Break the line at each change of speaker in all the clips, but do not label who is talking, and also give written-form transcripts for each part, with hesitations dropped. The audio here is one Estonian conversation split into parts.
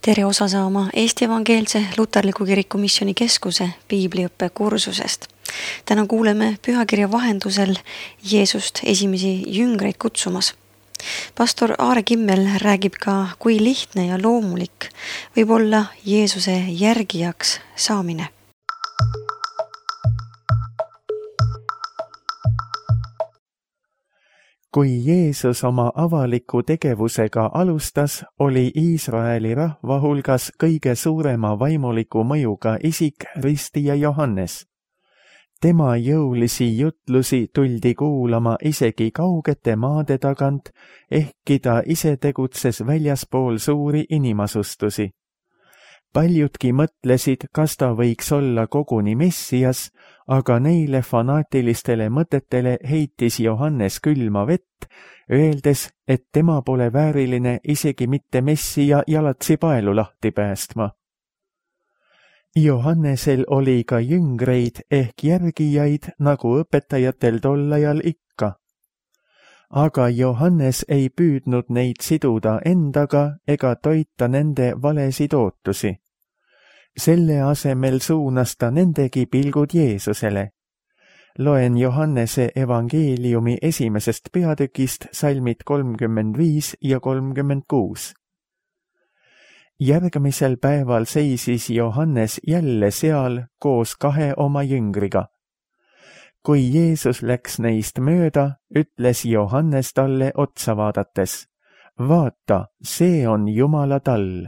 Tere osa saama Eesti Evangeelse Luterliku Kiriku Missiooni Keskuse piibliõppe kursusest. Täna kuuleme pühakirja vahendusel Jeesust esimesi jüngreid kutsumas. Pastor Aare Kimmel räägib ka, kui lihtne ja loomulik võib olla Jeesuse järgijaks saamine.
Kui Jeesus oma avaliku tegevusega alustas, oli Iisraeli rahva hulgas kõige suurema vaimuliku mõjuga isik ristija Johannes. Tema jõulisi jutlusi tuldi kuulama isegi kaugete maade tagant, ehkki ta ise tegutses väljaspool suuri inimasustusi. Paljudki mõtlesid, kas ta võiks olla koguni Messias, aga neile fanaatilistele mõtetele heitis Johannes külma vett, öeldes, et tema pole vääriline isegi mitte Messia jalatsi paelu lahti päästma. Johannesel oli ka jüngreid ehk järgijaid, nagu õpetajatel tol ajal ikka. Aga Johannes ei püüdnud neid siduda endaga ega toita nende valesid ootusi. Selle asemel suunas ta nendegi pilgud Jeesusele. Loen Johannese evangeeliumi esimesest peatükist salmid 35 ja 36. Järgmisel päeval seisis Johannes jälle seal koos 2 oma jüngriga. Kui Jeesus läks neist mööda, ütles Johannes talle otsa vaadates, vaata, see on Jumala tall.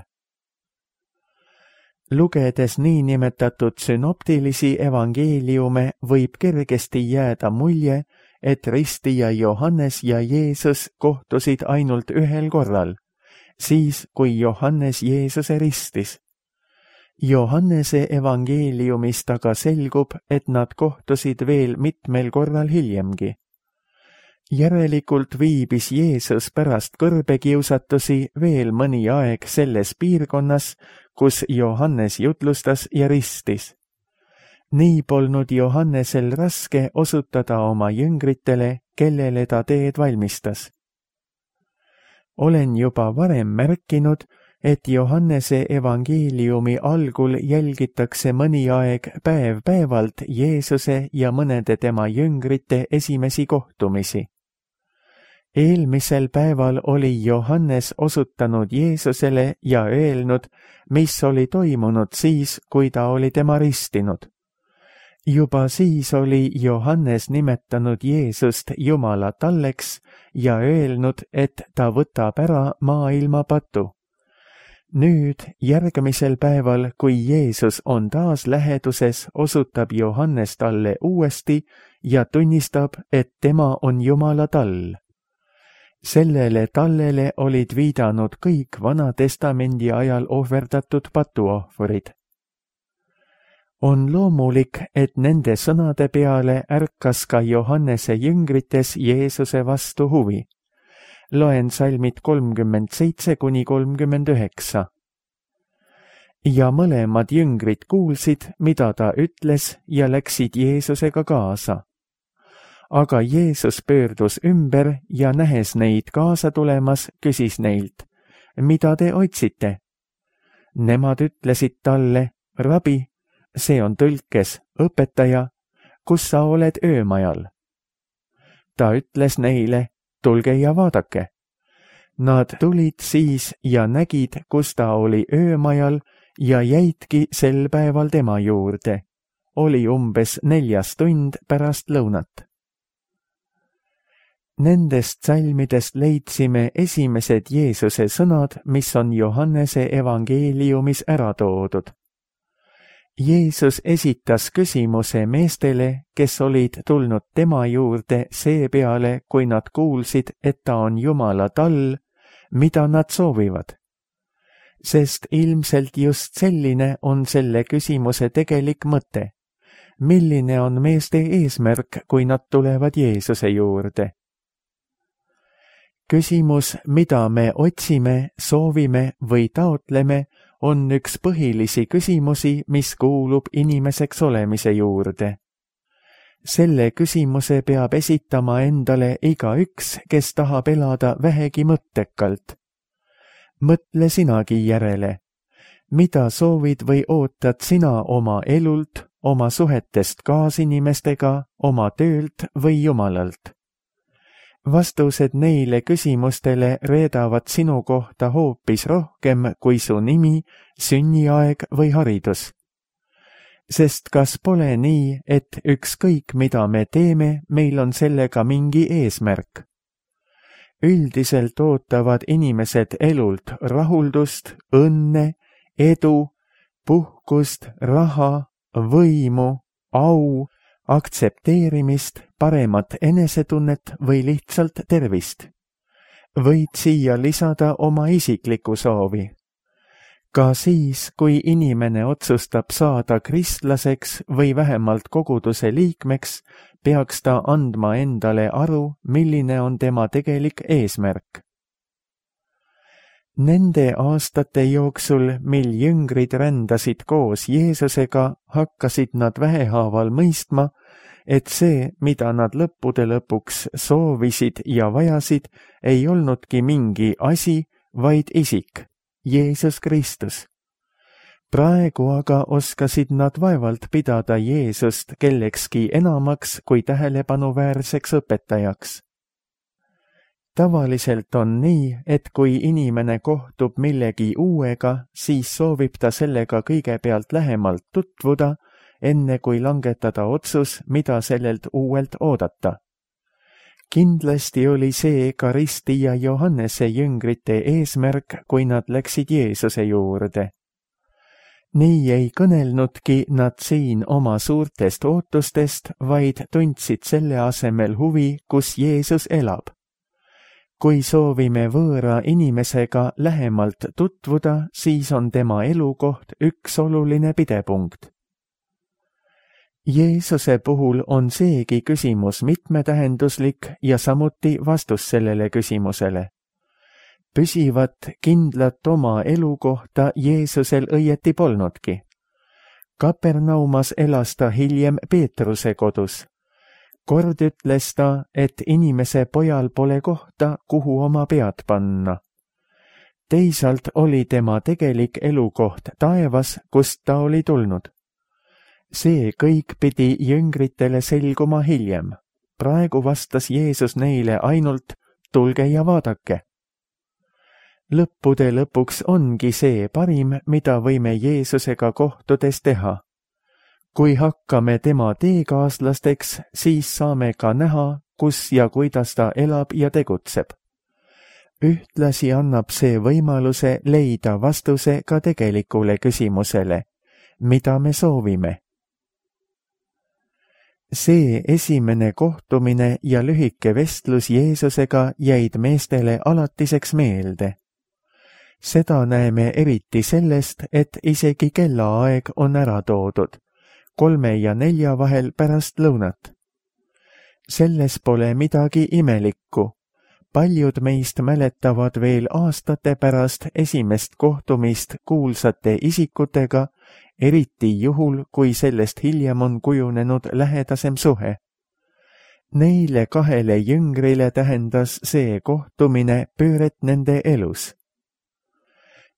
Lugedes niinimetatud sünoptilisi evangeeliume võib kergesti jääda mulje, et ristija Johannes ja Jeesus kohtusid ainult ühel korral, siis kui Johannes Jeesuse ristis. Johannese evangeeliumist aga selgub, et nad kohtusid veel mitmel korral hiljemgi. Järelikult viibis Jeesus pärast kõrbekiusatusi veel mõni aeg selles piirkonnas, kus Johannes jutlustas ja ristis. Nii polnud Johannesel raske osutada oma jüngritele, kellele ta teed valmistas. Olen juba varem märkinud, et Johannese evangeeliumi algul jälgitakse mõni aeg päev-päevalt Jeesuse ja mõnede tema jüngrite esimesi kohtumisi. Eelmisel päeval oli Johannes osutanud Jeesusele ja öelnud, mis oli toimunud siis, kui ta oli tema ristinud. Juba siis oli Johannes nimetanud Jeesust Jumala talleks ja öelnud, et ta võtab ära maailma patu. Nüüd, järgmisel päeval, kui Jeesus on taas läheduses, osutab Johannes talle uuesti ja tunnistab, et tema on Jumala tall. Sellele tallele olid viidanud kõik Vana-testamendi ajal ohverdatud patuohvrid. On loomulik, et nende sõnade peale ärkas ka Johannese jüngrites Jeesuse vastu huvi. Loen salmid 37–39. Ja mõlemad jüngrid kuulsid, mida ta ütles ja läksid Jeesusega kaasa. Aga Jeesus pöördus ümber ja nähes neid kaasa tulemas, küsis neilt, mida te otsite? Nemad ütlesid talle, rabi, see on tõlkes, õpetaja, kus sa oled öömajal? Ta ütles neile, tulge ja vaadake. Nad tulid siis ja nägid, kus ta oli öömajal ja jäidki sel päeval tema juurde. Oli umbes 4 tund pärast lõunat. Nendest salmidest leidsime esimesed Jeesuse sõnad, mis on Johannese evangeeliumis ära toodud. Jeesus esitas küsimuse meestele, kes olid tulnud tema juurde seepeale, kui nad kuulsid, et ta on Jumala tall, mida nad soovivad. Sest ilmselt just selline on selle küsimuse tegelik mõte. Milline on meeste eesmärk, kui nad tulevad Jeesuse juurde? Küsimus, mida me otsime, soovime või taotleme, on üks põhilisi küsimusi, mis kuulub inimeseks olemise juurde. Selle küsimuse peab esitama endale igaüks, kes tahab elada vähegi mõttekalt. Mõtle sinagi järele, mida soovid või ootad sina oma elult, oma suhetest kaasinimestega, oma töölt või Jumalalt? Vastused neile küsimustele reedavad sinu kohta hoopis rohkem kui su nimi, sünniaeg või haridus. Sest kas pole nii, et ükskõik mida me teeme, meil on sellega mingi eesmärk? Üldiselt ootavad inimesed elult rahuldust, õnne, edu, puhkust, raha, võimu, au, aktsepteerimist, paremat enesetunnet või lihtsalt tervist. Võid siia lisada oma isikliku soovi. Ka siis, kui inimene otsustab saada kristlaseks või vähemalt koguduse liikmeks, peaks ta andma endale aru, milline on tema tegelik eesmärk. Nende aastate jooksul, mil jüngrid rändasid koos Jeesusega, hakkasid nad vähehaaval mõistma, et see, mida nad lõppude lõpuks soovisid ja vajasid, ei olnudki mingi asi, vaid isik, Jeesus Kristus. Praegu aga oskasid nad vaevalt pidada Jeesust kellekski enamaks kui tähelepanuväärseks õpetajaks. Tavaliselt on nii, et kui inimene kohtub millegi uuega, siis soovib ta sellega kõigepealt lähemalt tutvuda, enne kui langetada otsus, mida sellelt uuelt oodata. Kindlasti oli see ka Risti ja Johannese jüngrite eesmärk, kui nad läksid Jeesuse juurde. Nii ei kõnelnudki nad siin oma suurtest ootustest, vaid tundsid selle asemel huvi, kus Jeesus elab. Kui soovime võõra inimesega lähemalt tutvuda, siis on tema elukoht üks oluline pidepunkt. Jeesuse puhul on seegi küsimus mitmetähenduslik ja samuti vastus sellele küsimusele. Püsivat, kindlat oma elukohta Jeesusel õieti polnudki. Kapernaumas elas ta hiljem Peetruse kodus. Kord ütles ta, et inimese pojal pole kohta, kuhu oma pead panna. Teisalt oli tema tegelik elukoht taevas, kust ta oli tulnud. See kõik pidi jüngritele selguma hiljem. Praegu vastas Jeesus neile ainult, tulge ja vaadake. Lõppude lõpuks ongi see parim, mida võime Jeesusega kohtudes teha. Kui hakkame tema teekaaslasteks, siis saame ka näha, kus ja kuidas ta elab ja tegutseb. Ühtlasi annab see võimaluse leida vastuse ka tegelikule küsimusele, mida me soovime. See esimene kohtumine ja lühike vestlus Jeesusega jäid meestele alatiseks meelde. Seda näeme eriti sellest, et isegi kellaaeg on ära toodud, 3 ja 4 vahel pärast lõunat. Selles pole midagi imelikku. Paljud meist mäletavad veel aastate pärast esimest kohtumist kuulsate isikutega, eriti juhul, kui sellest hiljem on kujunenud lähedasem suhe. Neile 2 jüngrile tähendas see kohtumine pööret nende elus.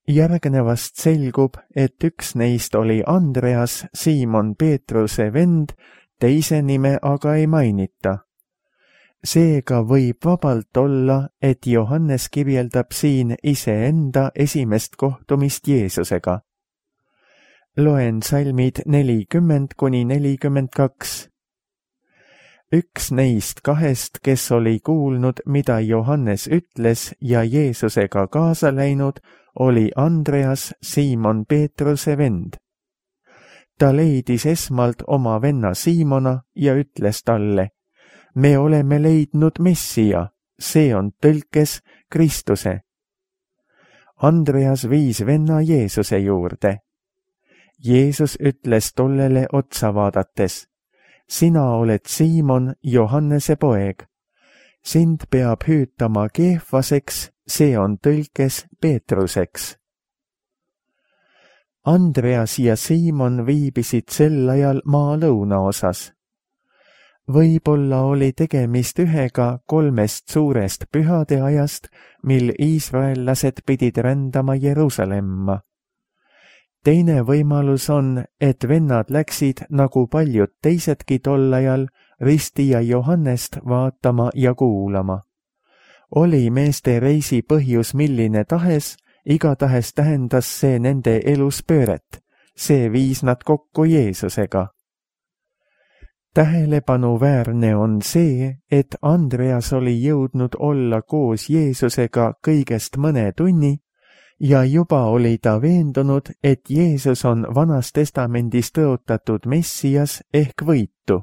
Järgnevast selgub, et üks neist oli Andreas, Siimon Peetruse vend, teise nime aga ei mainita. Seega võib vabalt olla, et Johannes kirjeldab siin iseenda esimest kohtumist Jeesusega. Loen salmid 40–42. Üks neist 2, kes oli kuulnud, mida Johannes ütles ja Jeesusega kaasa läinud, oli Andreas, Siimon Peetruse vend. Ta leidis esmalt oma venna Siimona ja ütles talle, me oleme leidnud Messia, see on tõlkes Kristuse. Andreas viis venna Jeesuse juurde. Jeesus ütles tollele otsa vaadates, sina oled Siimon, Johannese poeg. Sind peab hüütama Keefaseks, see on tõlkes Peetruseks. Andreas ja Siimon viibisid sel ajal maa lõunaosas. Võib-olla oli tegemist ühega 3 suurest pühade ajast, mil iisraellased pidid rändama Jeruusalemma. teine võimalus on, et vennad läksid, nagu paljud teisedki tol ajal, ristija Johannest vaatama ja kuulama. Oli meeste reisi põhjus milline tahes, igatahes tähendas see nende elus pööret. See viis nad kokku Jeesusega. Tähelepanuväärne on see, et Andreas oli jõudnud olla koos Jeesusega kõigest mõne tunni ja juba oli ta veendunud, et Jeesus on Vanas Testamendis tõotatud Messias ehk võitu.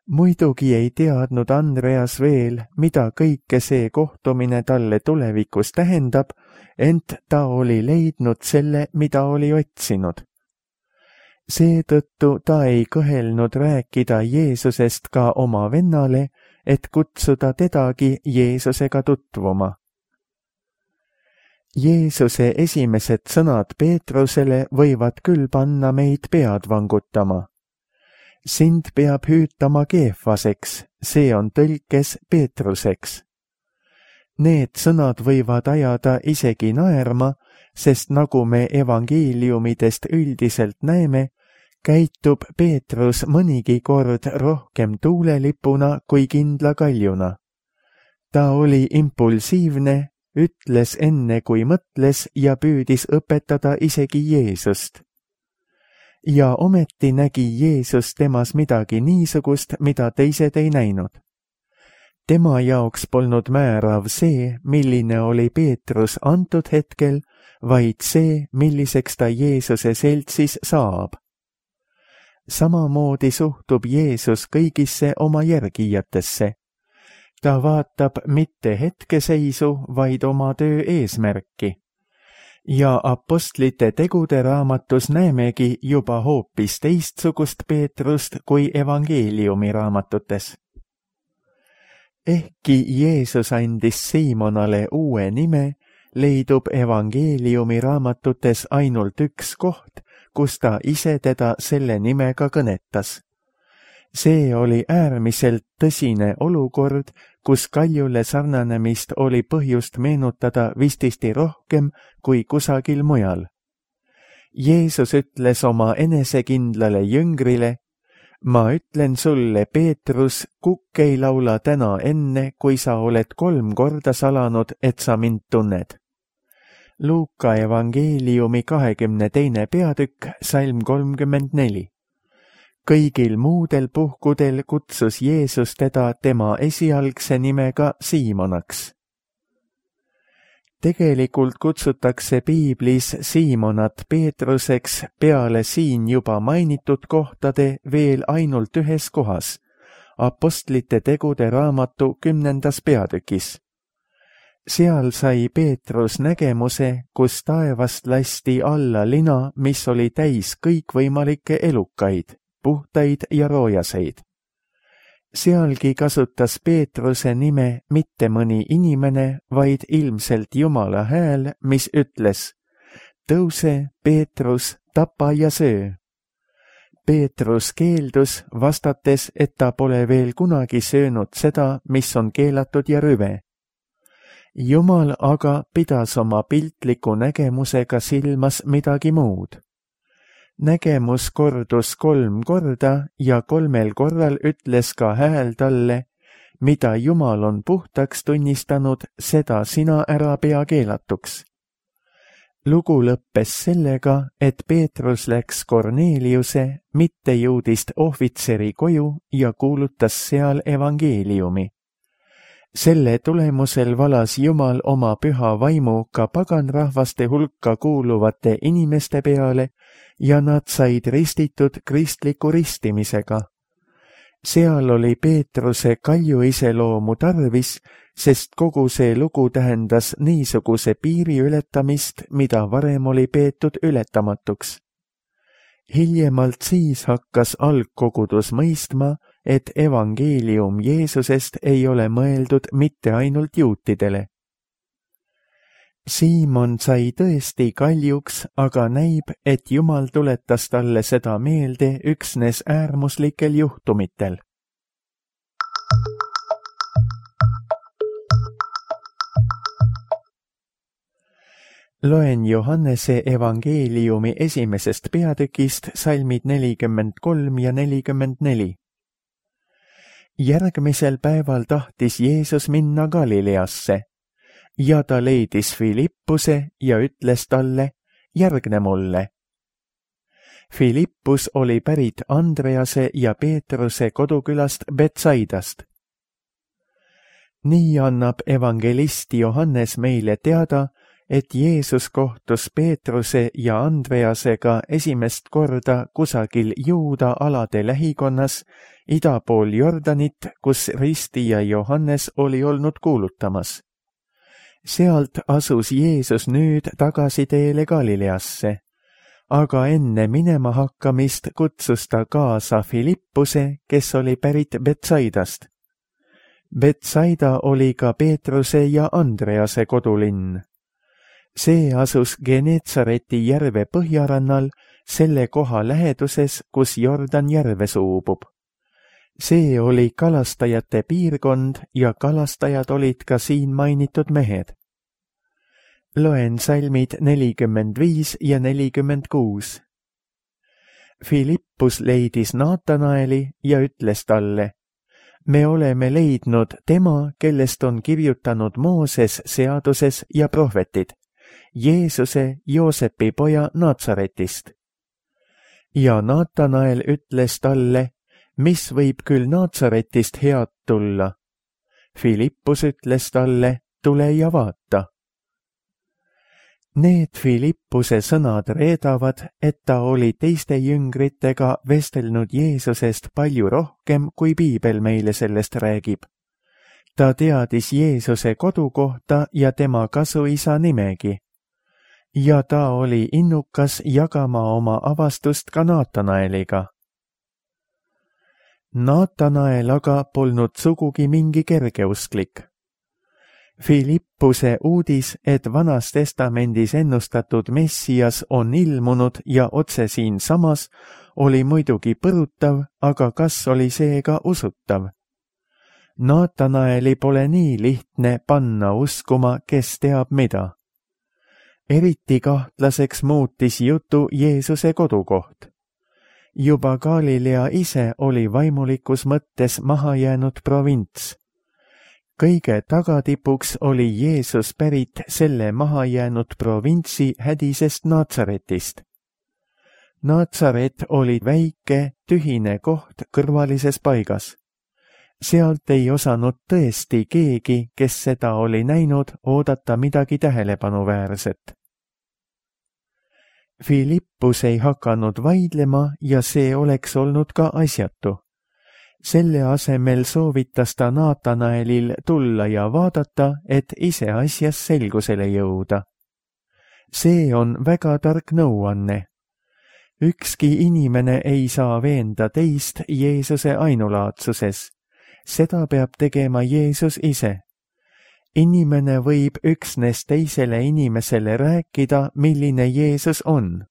Muidugi ei teadnud Andreas veel, mida kõike see kohtumine talle tulevikus tähendab, ent ta oli leidnud selle, mida oli otsinud. Seetõttu ta ei kõhelnud rääkida Jeesusest ka oma vennale, et kutsuda tedagi Jeesusega tutvuma. Jeesuse esimesed sõnad Peetrusele võivad küll panna meid pead vangutama. Sind peab hüütama Keefaseks, see on tõlkes Peetruseks. Need sõnad võivad ajada isegi naerma, sest nagu me evangeeliumidest üldiselt näeme, käitub Peetrus mõnigi kord rohkem tuulelipuna kui kindla kaljuna. Ta oli impulsiivne, ütles enne kui mõtles ja püüdis õpetada isegi Jeesust. Ja ometi nägi Jeesus temas midagi niisugust, mida teised ei näinud. Tema jaoks polnud määrav see, milline oli Peetrus antud hetkel, vaid see, milliseks ta Jeesuse seltsis saab. Samamoodi suhtub Jeesus kõigisse oma järgijatesse. Ta vaatab mitte hetkeseisu, vaid oma töö eesmärki. Ja apostlite tegude raamatus näemegi juba hoopis teistsugust Peetrust kui evangeeliumi raamatutes. Ehkki Jeesus andis Siimonale uue nime, leidub evangeeliumi raamatutes ainult üks koht, kus ta ise teda selle nimega kõnetas. See oli äärmiselt tõsine olukord, kus kaljule sarnanemist oli põhjust meenutada vististi rohkem kui kusagil mujal. Jeesus ütles oma enesekindlale jüngrile, ma ütlen sulle, Peetrus, kukk ei laula täna enne, kui sa oled 3 korda salanud, et sa mind tunned. Luuka evangeeliumi 22. peatükk, salm 34. Kõigil muudel puhkudel kutsus Jeesus teda tema esialgse nimega Siimonaks. Tegelikult kutsutakse piiblis Siimonat Peetruseks peale siin juba mainitud kohtade veel ainult ühes kohas, apostlite tegude raamatu 10. peatükis. Seal sai Peetrus nägemuse, kus taevast lasti alla lina, mis oli täis kõikvõimalikke elukaid, puhtaid ja roojaseid. Sealgi kasutas Peetruse nime mitte mõni inimene, vaid ilmselt Jumala hääl, mis ütles, tõuse, Peetrus, tapa ja söö. Peetrus keeldus, vastates, et ta pole veel kunagi söönud seda, mis on keelatud ja rüve. Jumal aga pidas oma piltliku nägemusega silmas midagi muud. Nägemus kordus 3 korda ja 3 korral ütles ka hääl talle, mida Jumal on puhtaks tunnistanud, seda sina ära pea keelatuks. Lugu lõppes sellega, et Peetrus läks Korneliuse, mittejuudist ohvitseri koju ja kuulutas seal evangeeliumi. Selle tulemusel valas Jumal oma püha vaimu ka paganrahvaste hulka kuuluvate inimeste peale ja nad said ristitud kristliku ristimisega. Seal oli Peetruse kalju iseloomu tarvis, sest kogu see lugu tähendas niisuguse piiri ületamist, mida varem oli peetud ületamatuks. Hiljemalt siis hakkas algkogudus mõistma, et evangeelium Jeesusest ei ole mõeldud mitte ainult juutidele. Siimon sai tõesti kaljuks, aga näib, et Jumal tuletas talle seda meelde üksnes äärmuslikel juhtumitel. Loen Johannese evangeeliumi 1. peatükist salmid 43 ja 44. Järgmisel päeval tahtis Jeesus minna Galileasse ja ta leidis Filippuse ja ütles talle, järgne mulle. Filippus oli pärit Andrease ja Peetruse kodukülast Betsaidast. Nii annab evangelist Johannes meile teada, et Jeesus kohtus Peetruse ja Andreasega esimest korda kusagil Juuda alade lähikonnas ida pool Jordanit, kus ristija Johannes oli olnud kuulutamas. Sealt asus Jeesus nüüd tagasi teele Galileasse, aga enne minema hakkamist kutsus ta kaasa Filippuse, kes oli pärit Betsaidast. Betsaida oli ka Peetruse ja Andrease kodulinn. See asus Geneetsareti järve põhjarannal, selle koha läheduses, kus Jordan järve suubub. See oli kalastajate piirkond ja kalastajad olid ka siin mainitud mehed. Loen salmid 45 ja 46. Filippus leidis Naatanaeli ja ütles talle, me oleme leidnud tema, kellest on kirjutanud Mooses seaduses ja prohvetid, Jeesuse, Joosepi poja Naatsaretist. Ja Naatanael ütles talle, mis võib küll Naatsaretist head tulla? Filippus ütles talle, tule ja vaata. Need Filippuse sõnad reedavad, et ta oli teiste jüngritega vestelnud Jeesusest palju rohkem, kui piibel meile sellest räägib. Ta teadis Jeesuse kodukohta ja tema kasuisa nimegi. Ja ta oli innukas jagama oma avastust ka Naatanaeliga. Naatanael aga polnud sugugi mingi kergeusklik. Filippuse uudis, et Vanas Testamendis ennustatud Messias on ilmunud ja otse siinsamas, oli muidugi põrutav, aga kas oli see ka usutav? Naatanaeli pole nii lihtne panna uskuma, kes teab mida. Eriti kahtlaseks muutis jutu Jeesuse kodukoht. Juba Galilea ise oli vaimulikus mõttes mahajäänud provints. Kõige tagatipuks oli Jeesus pärit selle mahajäänud provintsi hädisest Naatsaretist. Naatsaret oli väike, tühine koht kõrvalises paigas. Sealt ei osanud tõesti keegi, kes seda oli näinud, oodata midagi tähelepanuväärset. Filippus ei hakanud vaidlema ja see oleks olnud ka asjatu. Selle asemel soovitas ta Naatanaelil tulla ja vaadata, et ise asjas selgusele jõuda. See on väga tark nõuanne. Ükski inimene ei saa veenda teist Jeesuse ainulaadsuses. Seda peab tegema Jeesus ise. Inimene võib üksnes teisele inimesele rääkida, milline Jeesus on.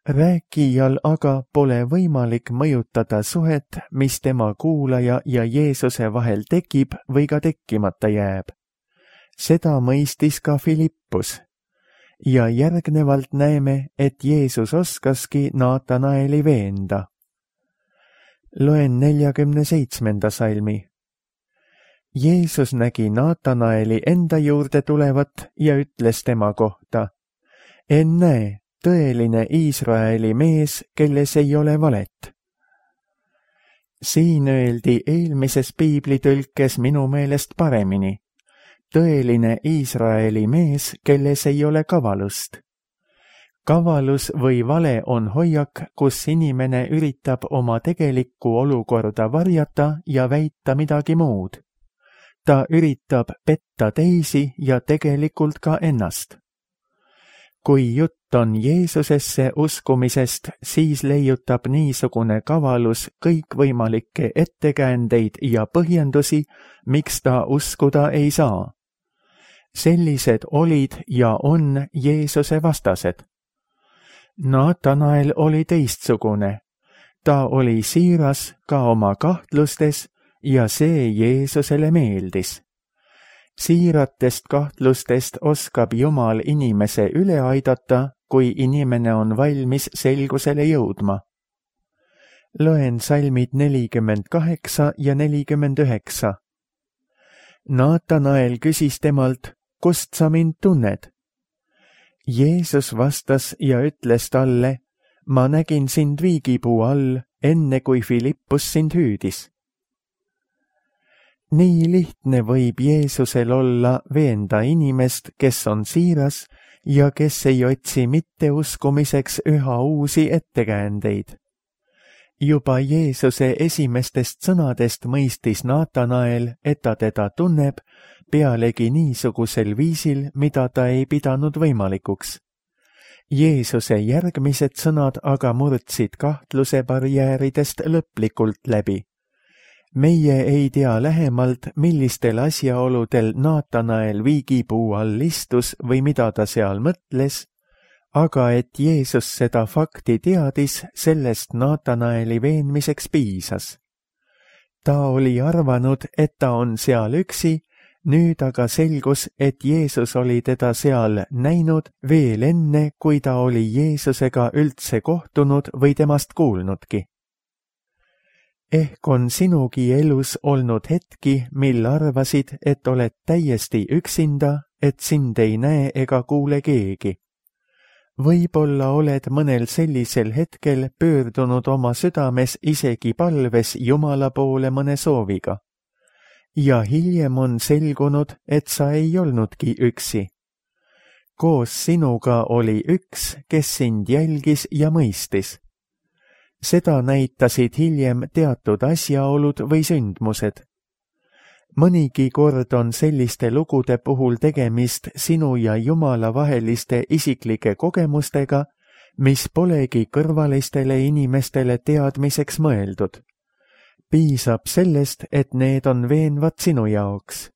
Rääkijal aga pole võimalik mõjutada suhet, mis tema kuulaja ja Jeesuse vahel tekib või ka tekkimata jääb. Seda mõistis ka Filippus. Ja järgnevalt näeme, et Jeesus oskaski Naatanaeli veenda. Loen 47. salmi. Jeesus nägi Naatanaeli enda juurde tulevat ja ütles tema kohta, ennäe, tõeline Iisraeli mees, kelles ei ole valet. Siin öeldi eelmises piiblitõlkes minu meelest paremini. Tõeline Iisraeli mees, kelles ei ole kavalust. Kavalus või vale on hoiak, kus inimene üritab oma tegelikku olukorda varjata ja väita midagi muud. Ta üritab petta teisi ja tegelikult ka ennast. Kui jutt on Jeesusesse uskumisest, siis leiutab niisugune kavalus kõikvõimalikke ettekäändeid ja põhjendusi, miks ta uskuda ei saa. Sellised olid ja on Jeesuse vastased. Naatanael oli teistsugune. Ta oli siiras ka oma kahtlustes ja see Jeesusele meeldis. siiratest kahtlustest oskab Jumal inimese üle aidata, kui inimene on valmis selgusele jõudma. Loen salmid 48 ja 49. Naatanael küsis temalt, kust sa mind tunned? Jeesus vastas ja ütles talle, ma nägin sind viigipuu all, enne kui Filippus sind hüüdis. Nii lihtne võib Jeesusel olla veenda inimest, kes on siiras ja kes ei otsi mitte uskumiseks üha uusi ettekäändeid. Juba Jeesuse esimestest sõnadest mõistis Naatanael, et ta teda tunneb, pealegi niisugusel viisil, mida ta ei pidanud võimalikuks. Jeesuse järgmised sõnad aga murdsid kahtluse barjääridest lõplikult läbi. Meie ei tea lähemalt, millistel asjaoludel Naatanael viigipuu all istus või mida ta seal mõtles, aga et Jeesus seda fakti teadis, sellest Naatanaeli veenmiseks piisas. Ta oli arvanud, et ta on seal üksi, nüüd aga selgus, et Jeesus oli teda seal näinud veel enne, kui ta oli Jeesusega üldse kohtunud või temast kuulnudki. Ehk on sinugi elus olnud hetki, mil arvasid, et oled täiesti üksinda, et sind ei näe ega kuule keegi. Võib-olla oled mõnel sellisel hetkel pöördunud oma südames isegi palves Jumala poole mõne sooviga. Ja hiljem on selgunud, et sa ei olnudki üksi. Koos sinuga oli üks, kes sind jälgis ja mõistis. Seda näitasid hiljem teatud asjaolud või sündmused. Mõnigi kord on selliste lugude puhul tegemist sinu ja Jumala vaheliste isiklike kogemustega, mis polegi kõrvalistele inimestele teadmiseks mõeldud. Piisab sellest, et need on veenvad sinu jaoks.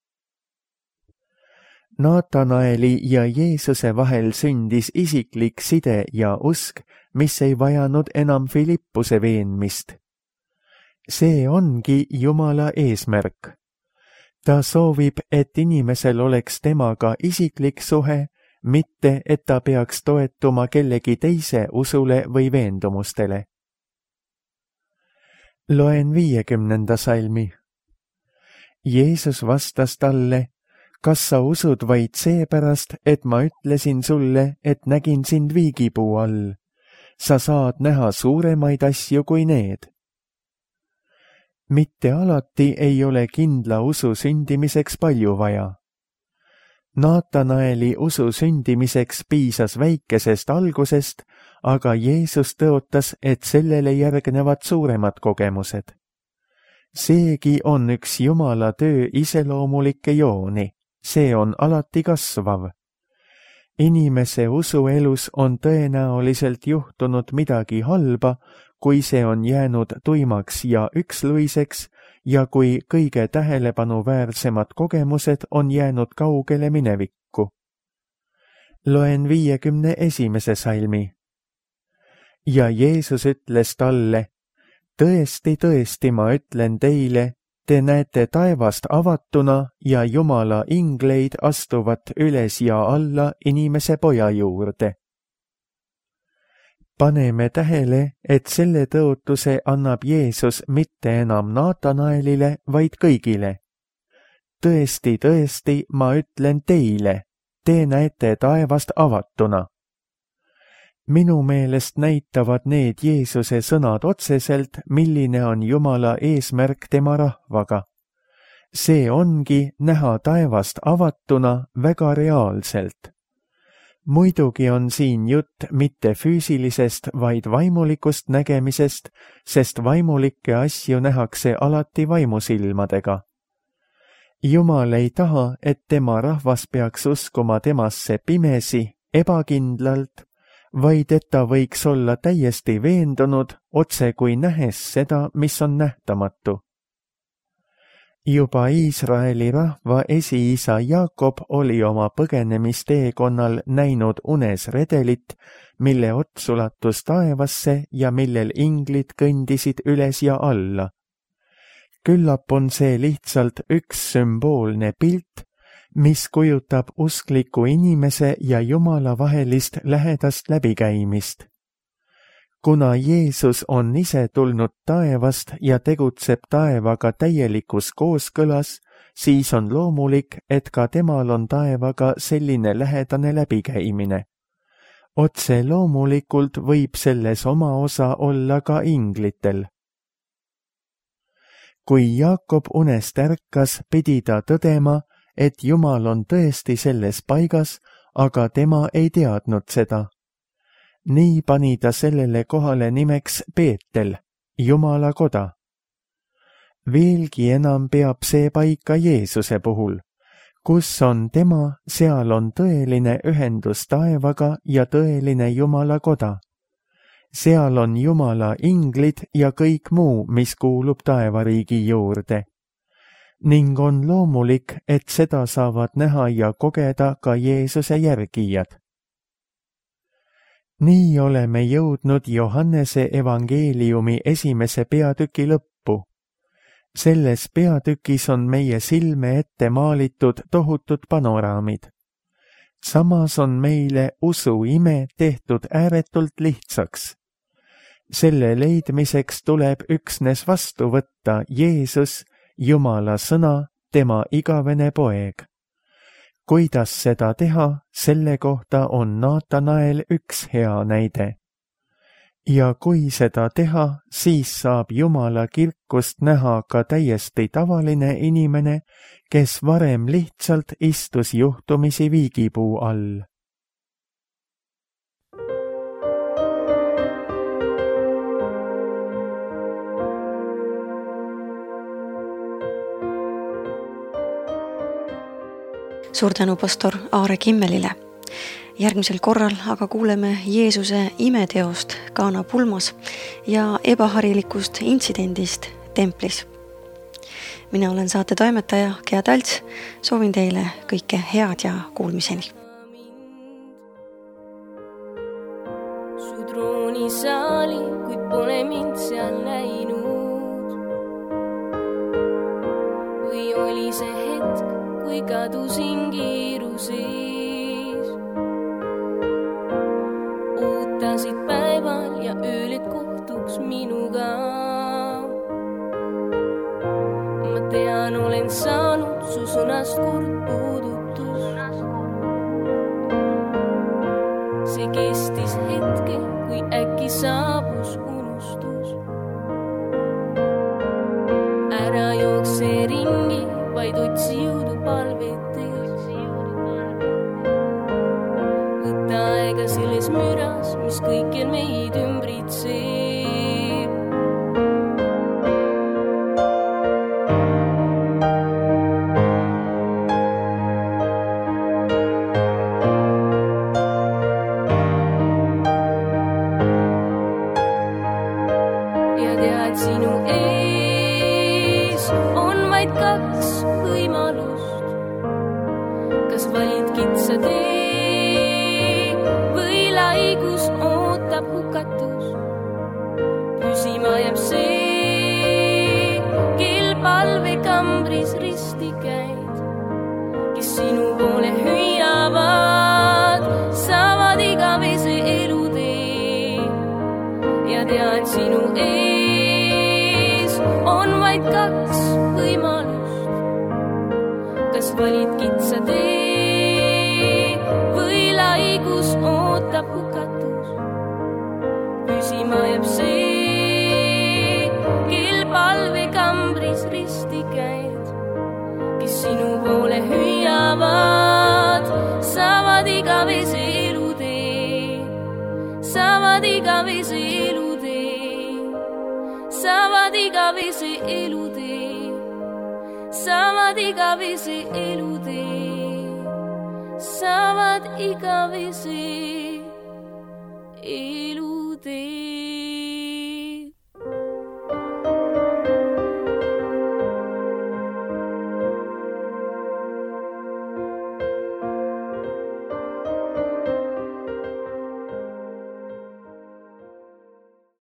Naatanaeli ja Jeesuse vahel sündis isiklik side ja usk, mis ei vajanud enam Filippuse veenmist. See ongi Jumala eesmärk. Ta soovib, et inimesel oleks temaga isiklik suhe, mitte et ta peaks toetuma kellegi teise usule või veendumustele. Loen 50. salmi. Jeesus vastas talle, kas sa usud vaid seepärast, et ma ütlesin sulle, et nägin sind viigipuu all? Sa saad näha suuremaid asju kui need. Mitte alati ei ole kindla usu sündimiseks palju vaja. Naatanaeli usu sündimiseks piisas väikesest algusest, aga Jeesus tõotas, et sellele järgnevad suuremad kogemused. Seegi on üks Jumala töö iseloomulikke jooni, see on alati kasvav. Inimese usuelus on tõenäoliselt juhtunud midagi halba, kui see on jäänud tuimaks ja üksluiseks ja kui kõige tähelepanuväärsemad kogemused on jäänud kaugele minevikku. Loen 51. salmi. Ja Jeesus ütles talle, tõesti, tõesti, ma ütlen teile, te näete taevast avatuna ja Jumala ingleid astuvat üles ja alla inimese poja juurde. Paneme tähele, et selle tõotuse annab Jeesus mitte enam Naatanaelile, vaid kõigile. Tõesti, tõesti, ma ütlen teile, te näete taevast avatuna. Minu meelest näitavad need Jeesuse sõnad otseselt, milline on Jumala eesmärk tema rahvaga. See ongi näha taevast avatuna väga reaalselt. Muidugi on siin jutt mitte füüsilisest, vaid vaimulikust nägemisest, sest vaimulikke asju nähakse alati vaimusilmadega. Jumal ei taha, et tema rahvas peaks uskuma temasse pimesi, ebakindlalt, vaid et ta võiks olla täiesti veendunud, otse kui nähes seda, mis on nähtamatu. Juba Iisraeli rahva esiisa Jaakob oli oma põgenemisteekonnal näinud unes redelit, mille ots ulatus taevasse ja millel inglid kõndisid üles ja alla. Küllap on see lihtsalt üks sümboolne pilt, mis kujutab uskliku inimese ja Jumala vahelist lähedast läbikäimist. Kuna Jeesus on ise tulnud taevast ja tegutseb taevaga täielikus kooskõlas, siis on loomulik, et ka temal on taevaga selline lähedane läbikäimine. Otse loomulikult võib selles oma osa olla ka inglitel. Kui Jaakob unest ärkas, pidi ta tõdema, et Jumal on tõesti selles paigas, aga tema ei teadnud seda. Nii pani ta sellele kohale nimeks Beetel, Jumala koda. Veelgi enam peab see paika Jeesuse puhul. Kus on tema, seal on tõeline ühendus taevaga ja tõeline Jumala koda. Seal on Jumala inglid ja kõik muu, mis kuulub taevariigi juurde. Ning on loomulik, et seda saavad näha ja kogeda ka Jeesuse järgijad. Nii oleme jõudnud Johannese evangeeliumi 1. peatüki lõppu. Selles peatükis on meie silme ette maalitud tohutud panoraamid. Samas on meile usuime tehtud ääretult lihtsaks. Selle leidmiseks tuleb üksnes vastu võtta Jeesus, Jumala sõna, tema igavene poeg. Kuidas seda teha, selle kohta on Naatanael üks hea näide. Ja kui seda teha, siis saab Jumala kirkust näha ka täiesti tavaline inimene, kes varem lihtsalt istus juhtumisi viigipuu all.
Suur tänu pastor Aare Kimmelile. Järgmisel korral aga kuuleme Jeesuse imeteost Kaana pulmas ja ebaharilikust intsidendist templis. Mina olen saate toimetaja Gea Talts, soovin teile kõike head ja kuulmiseni.
Su troonisaali, kuid pole mind seal näinud. Või oli see hetk, kui kadusin kiiruses. Ootasid päeval ja ööl, et kohtuks minuga. Ma tean, olen saanud su sõnast kord puudutus. See kestis hetke, kui äkki saabus unustus. Ära jookse ringi, vaid otsi jõudu palvetes. Võta aega selles müras, mis kõikjal meid ümbritseb. Ja tead, sinu ees on vaid kaks võimalust. Kas valid kitsa tee või laigus ootab hukatus? Püsima jääb see, kel palvekambris risti käid. Kes sinu poole hüüavad, saavad igavese elutee. Ja tead, sinu ees on vaid kaks võimalust. Kas valid kitsa tee või laigus ootab hukatus? Püsima jääb see, kel palvekambris risti käid. Kes sinu poole hüüavad, saavad igavese elutee. Saavad igavese elutee. Saavad igavese elutee. Saavad igavese elutee. Saavad igavese elutee.